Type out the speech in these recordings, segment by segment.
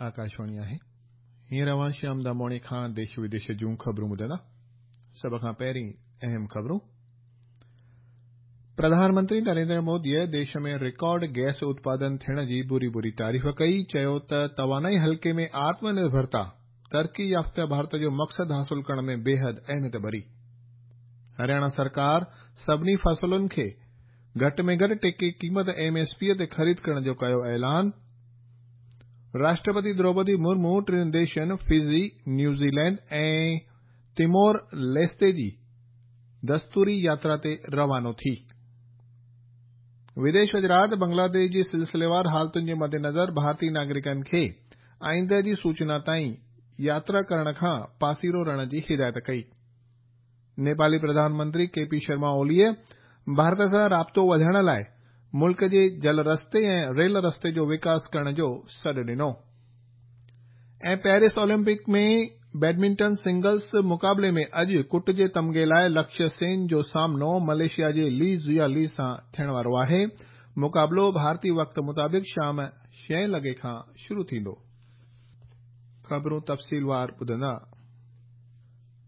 آڪاشواڻي آهي. هينئر اوهان شيام داموڻي کان ديش وديش جون خبرون ٻڌندا. سڀ کان پهرين اهم خبرون. پرڌان منتري نريندر موديء ديش ۾ رڪارڊ گئس اتپادن ٿيڻ جي ڀري ڀري تعريف ڪئي، چيو ته توانائي حلقي ۾ آتم نرڀرتا ترقي يافته ڀارت جو مقصد حاصل ڪرڻ ۾ بيحد اهميت ڀري. هرياڻا سرڪار سڀني فصلن کي گهٽ ۾ گهٽ ٽيڪي قيمت ايم ايس پي تي خريد ڪرڻ جو ڪيو اعلان. راشٽرپتي دروپدي مرمو ٽن ديشن فجي، نيوزيلينڊ ۽ تيمور ليستي جي دستوري ياترا تي روانو ٿي. وديش وزارت بنگلاديش جي سلسليوار حالتن جي مدنظر ڀارتي ناگرڪن کي آئنده جي سوچنا تائين ياترا ڪرڻ کان پاسيرو رهڻ جي هدايت ڪئي. نيپالي پرڌان منتري ڪي پي شرما اوليء ڀارت سان رابطو وڌائڻ لاء ملڪ جي جل رستي ۽ ريل رستي جو وڪاس ڪرڻ جو سڏ ڏنو. ۽ پيرس اولمپڪ ۾ بيڊمنٽن سنگلز مقابلي ۾ اڄ ڪٽ جي تمغي لاء لڪشيه سين جو سامنو ملائيشيا جي لي زيا لي سان ٿيڻ وارو آهي. مقابلو ڀارتي وقت مطابق شام ڇهين لڳي کان شروع ٿيندو. خبرون تفصيلوار ٻڌندا.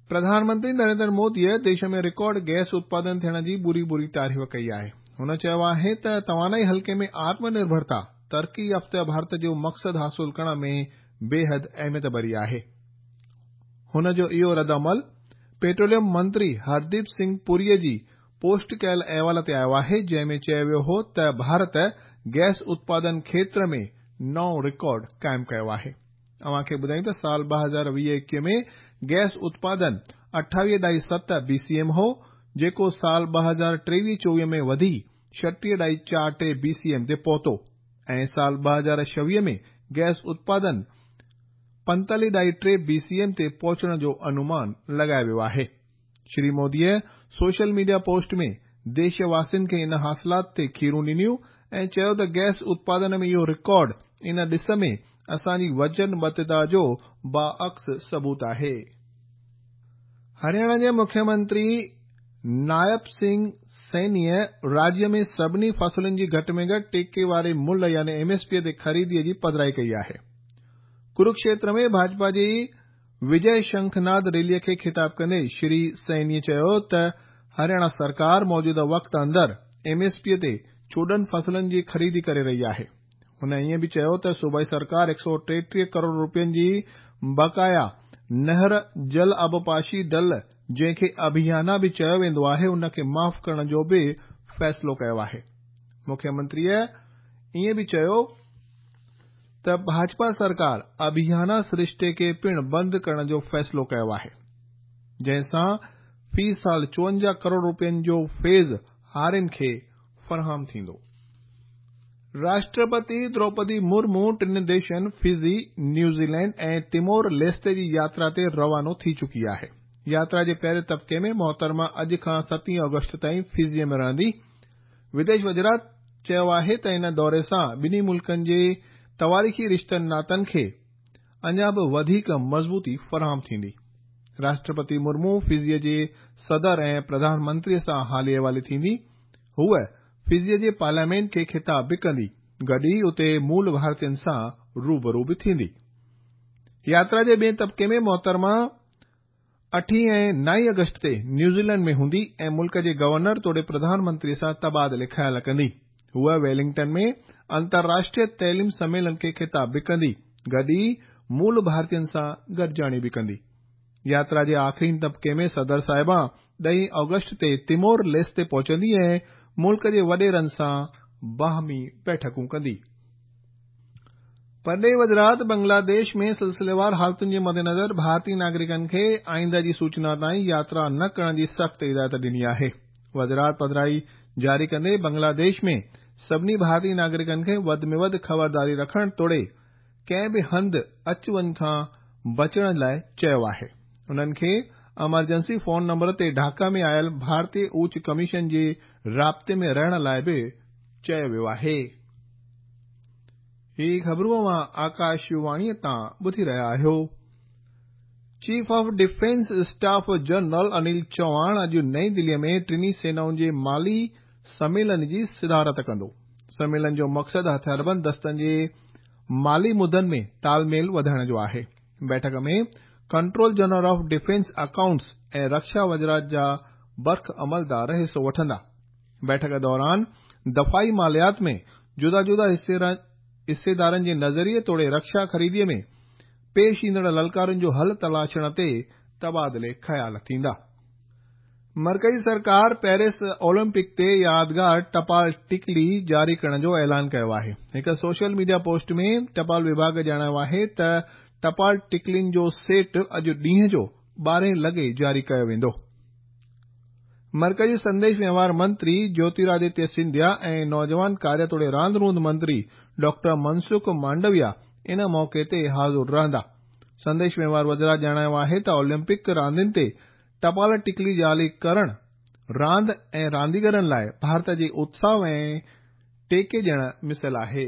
پرڌان منتري نريندر موديء ديش ۾ رڪارڊ گئس اتپادن ٿيڻ جي ڀري ڀري تعريف ڪئي آهي. هن چيو آهي ته توانائي حلقي ۾ آتم نرڀرتا ترقي يافته ڀارت جو مقصد حاصل ڪرڻ ۾ بيحد اهميت ڀري آهي. هن جو اهو ردعمل پيٽروليم منتري هرديپ سنگهه پوريء جي پوسٽ ڪيل احوال تي آيو آهي، جنهن ۾ چيو ويو هو ته ڀارت گئس اتپادن کيتر ۾ نئون رڪارڊ قائم ڪيو آهي. اوهان کي ٻڌايون ته سال 2020-21 ۾ گئس اتپادن اٺاويهه ڏهائي ست بي سي ايم هو، جيڪو سال 2023-24 ۾ وڌي ڇٽيهه ڏهائي چار ٽي بي سي ايم تي پهتو ۽ سال 2026 ۾ گئس اتپادن پنتاليهه ڏهائي ٽي بي سي ايم تي پهچڻ جو انومان لڳايو ويو آهي. شري موديء سوشل ميڊيا پوسٽ ۾ ديش واسين کي ان حاصلات تي کيرون ڏنيون ۽ چيو ته گئس اتپادن ۾ اهو رڪارڊ ان ڏس ۾ اسان جي وچنبڌتا جو باعڪس ثبوت آهي. هرياڻا جي مکيه منتري نائب سنگهه سينيء راجيه ۾ سڀني فصلن جي گهٽ ۾ گهٽ ٽيڪي واري ملهه يعني ايم ايس پي تي خريديء جي پڌرائي ڪئي آهي. ڪروڪشيتر ۾ ڀاجپا جي وجي شنکناد ريليء کي خطاب ڪندي شري سينيء چيو ته هرياڻا سرڪار موجوده وقت اندر ايم ايس پي تي 14 فصلن جي خريدي ڪري رهي آهي. هن ائين به چيو ته صوبائي سرڪار 133 ڪروڙ روپين جي بقايا نهر جل آبپاشي ڊل جنهن کي اڀيانا به چيو ويندو آهي ان کي معاف ڪرڻ جو به فيصلو ڪيو آهي. مکيه منتريء ائين به چيو ته ڀاجپا سرڪار اڀيانا سرشتي کي پڻ بند ڪرڻ جو فيصلو ڪيو آهي، جنهن سان في سال 54 ڪروڙ روپين جو فيض هارين کي فراهم ٿيندو. راشٽرپتي دروپدي مرمو ٽن ديشن فجي، نيوزيلينڊ ۽ تيمور ليستي جي ياترا تي روانو ٿي چڪي آهي. ياترا جي پهرين طبقي ۾ محترمه اڄ کان ستين آگسٽ تائين فجيء ۾ رهندي. وديش وزارت چيو آهي ته ان دوري سان ٻنهي ملڪن جي تواريخي رشتن ناتن کي اڃا به وڌيڪ مضبوطي فراهم ٿيندي. راشٽرپتي مرمو فجيء جي صدر ۽ پرڌان منتريء سان حالي احوالي ٿيندي. هوء فجيء جي پارليامينٽ کي خطاب به ڪندي، گڏ ئي اتي مول ڀارتين سان روبرو به ٿيندي. ياترا جي ٻئين طبقي ۾ محترمه اٺين ۽ نائين آگسٽ تي نيوزيلينڊ ۾ هوندي ۽ ملڪ جي گورنر توڙي پرڌان منتري سان تبادلي خيال ڪندي. هوء ويلنگٽن ۾ انترراشٽريه تعليم سميلن کي خطاب به ڪندي، گڏ ئي مول ڀارتين سان گڏجاڻي به ڪندي. ياترا جي آخرين طبقي ۾ صدر صاحبان ڏهين آگسٽ تي تيمور ليستي پهچندي ۽ ملڪ جي وڏيرن سان باهمي بيٺڪون ڪندي. پرڏيهي وزارت بنگلاديش ۾ سلسليوار حالتن جي مدنظر ڀارتي ناگرڪن کي آئنده جي سوچنا تائين ياترا نه ڪرڻ جي سخت هدايت ڏني آهي. وزارت پڌرائي جاري ڪندي بنگلاديش ۾ سڀني ڀارتي ناگرڪن کي وڌ ۾ وڌ خبرداري رکڻ توڙي ڪنهن به هنڌ اچ وڃ کان بچڻ لاء چيو آهي. انهن کي امرجنسي فون نمبر تي ڍاڪا ۾ آيل ڀارتي اوچ ڪميشن جي رابطي ۾ رهڻ لاء به چيو ويو آهي. هي خبرون اوهان آڪاش واڻيء تان ٻڌي رهيا آهيو. Chief of defence staff general Anil Chauhan اڄ نئين دليء ۾ ٽنهي سينائن جي مالي سميلن جي صدارت ڪندو. سميلن جو مقصد هٿياربند دستن جي مالي مدن ۾ تال ميل وڌائڻ جو آهي. بيٺڪ ۾ controller general of defence accounts ۽ rickshaw وزارت جا برک عملدار حصو وٺندا. بيٺڪ دوران دفاعي ماليات ۾ جدا جدا حصيدارن جي نظريي توڙي رڪشا خريدي ۾ پيش ايندڙ للڪارن جو حل تلاشڻ تي تبادلي خيال ٿيندا. مرڪزي سرڪار پيرس اولمپڪ تي يادگار ٽپال ٽڪلي جاري ڪرڻ جو اعلان ڪيو آهي. هڪ سوشل ميڊيا پوسٽ ۾ ٽپال وڀاڳ ڄاڻايو آهي ته ٽپال ٽڪلين جو سيٽ اڄ ڏينهن جو 12 لڳي جاري ڪيو ويندو. مرڪزي سنديش وهنوار منتري جيوترادتيه سنڌيا ۽ نوجوان ڪاريه توڙي راند روند منتري ڊاڪٽر منسک مانڊويا ان موقعي تي حاضر رهندا. سنديش وهنوار وزارت ڄاڻايو آهي ته اولمپڪ راندين تي ٽپال ٽڪلي جاري ڪرڻ راند ۽ رانديگرن لاء ڀارت جي اتساهه ۽ ٽيڪي ڏيڻ مثل آهي.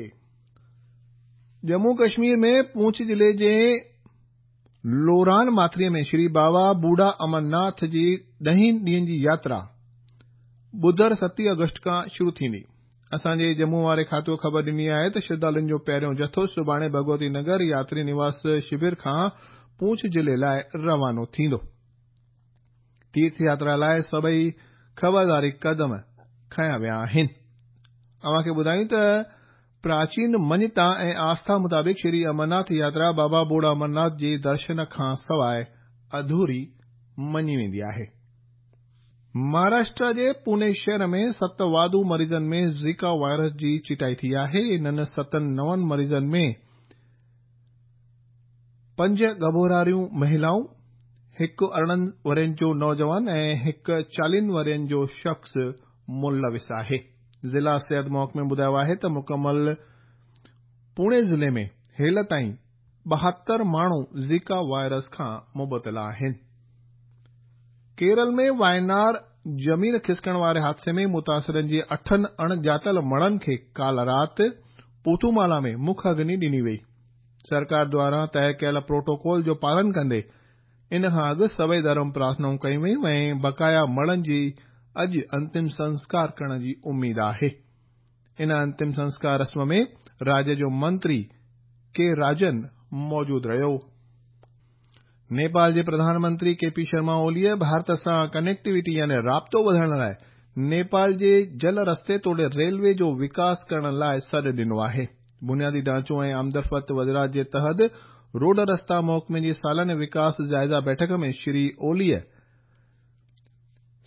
ڄمون ڪشمير ۾ پونڇ ضلعي جي لوران ماٿري ۾ شري بابا بوڙها امرناٿ جي ڏهين ڏينهن جي ياترا ٻڌر 7 آگسٽ کان شروع ٿيندي. اسان جي ڄمون واري کاتو خبر ڏني آهي ته شرڌالن جو پهريون جٿو سڀاڻي ڀڳوتي نگر ياتري نواس شور کان پونڇ ضلعي لاء روانو ٿيندو. تيرٿ ياترا لاء سڀئي خبرداري قدم کنيا ويا آهن. اوهان کي ٻڌايون ته پراچين مڃتا ۽ آسٿا مطابق شري امرناٿ ياترا بابا بوڙها امرناٿ جي درشن کان سواء اڌوري مڃي ويندي آهي. مهاراشٽر جي پوني شهر ۾ 7 واڌو مريضن ۾ زيڪا وائرس جي چٽائي ٿي آهي. انهن 7 نون مريضن ۾ 5 ڳڀوراريون مهلائون، هڪ 18 ورهين جو نوجوان ۽ هڪ 40 ورهين جو شخص ملوث آهي. ضلع صحت محڪمي ٻڌايو آهي ته مڪمل پوني ضلعي ۾ هيل تائين 72 ماڻهو زيڪا وائرس کان مبتلا آهن. ڪيرل ۾ واينار زمين کسڪڻ واري حادثي ۾ متاثرن جي 8 اڻڄاتل مڙهن کي ڪالهه رات پوٿومالا ۾ مک اگني ڏني وئي. سرڪار دواران طئي ڪيل پروٽوڪول جو پالن ڪندي ان کان اڳ سڀئي ڌرم پرارٿنائون ڪيون ويون ۽ بقايا مڙهن جي اڄ انتم سنسڪار ڪرڻ جي اميد آهي. ان انتم سنسڪار رسم ۾ راجيه جو منتري ڪي راجن موجود رهيو. نيپال جي پرڌان منتري ڪي پي شرما اوليء ڀارت سان ڪنيڪٽيوٽي يعني رابطو وڌائڻ لاء نيپال جي جل رستي توڙي ريلوي جو وڪاس ڪرڻ لاء سڏ ڏنو آهي. بنيادي ڍانچو ۽ آمدرفت وزارت جي تحت روڊ رستا محڪمي جي سالاني وڪاس جائزه بيٺڪ ۾ شري اوليء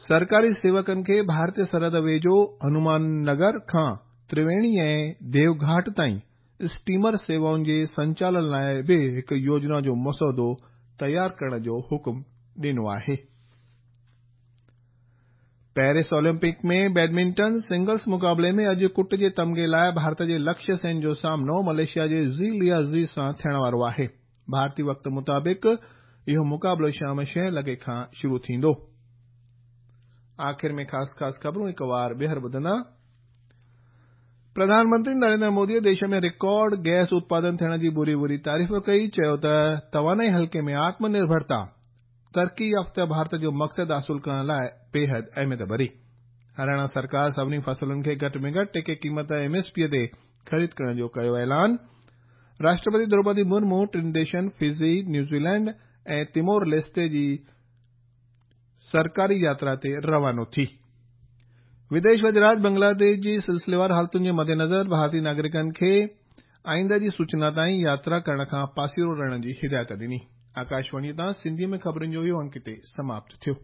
سرڪاري سيوڪن کي ڀارتي سرحد ويجهو هنومان نگر کان ترويڻي ۽ ديوگهاٽ تائين اسٽيمر سيوائن جي سنچالن لاء به هڪ يوجنا جو مسودو تيار ڪرڻ جو حڪم ڏنو آهي. پيرس اولمپڪ ۾ بيڊمنٽن سنگلز مقابلي ۾ اڄ ڪٽ جي تمغي لاء ڀارت جي لڪشيه سين جو سامنو ملائيشيا جي زي ليا زي سان ٿيڻ وارو آهي. ڀارتي وقت مطابق اهو مقابلو شام 6 لڳي کان شروع ٿيندو. آخر ۾ خاص خاص خبرون هڪ وار ٻيهر ٻڌندا. پرڌان منتري نريندر مودي ديش ۾ رڪارڊ گئس اتپادن ٿيڻ جي ڀري ڀري تعريف ڪئي، چيو ته توانائي حلقي ۾ آتم نرڀرتا ترقي يافته ڀارت جو مقصد حاصل ڪرڻ لاء بيحد اهميت ڀري. هرياڻا سرڪار سڀني فصلن کي گهٽ ۾ گهٽ ٽيڪي قيمت ايم ايس پي تي خريد ڪرڻ جو ڪيو اعلان. راشٽرپتي دروپدي مرمو ٽن ديشن فجي، نيوزيلينڊ ۽ تيمور ليستي جي سرڪاري ياترا تي روانو ٿي. وديش وزارت بنگلاديش جي سلسليوار حالتن جي مدنظر ڀارتي ناگرڪن کي آئنده جي سوچنا تائين ياترا ڪرڻ کان پاسيرو رهڻ جي هدايت ڏني. آڪاشواڻي تان سنڌي ۾ خبرن جو اهو انڪ هتي سماپت ٿيو.